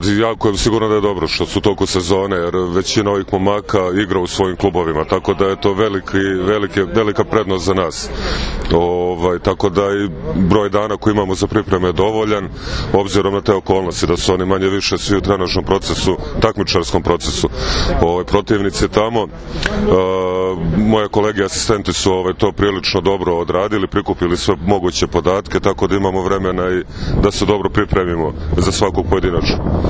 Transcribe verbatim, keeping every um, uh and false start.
Jako je sigurno da je dobro što su toku sezone, jer većina ovih momaka igra u svojim klubovima, tako da je to veliki, velike, velika prednost za nas. Ovaj, tako da i broj dana koji imamo za pripreme je dovoljan, obzirom na te okolnosti, da su oni manje više svi u trenažnom procesu, takmičarskom procesu. Ovaj, protivnici tamo, uh, moje kolege asistenti su ovaj, to prilično dobro odradili, prikupili sve moguće podatke, tako da imamo vremena i da se dobro pripremimo za svakog pojedinača.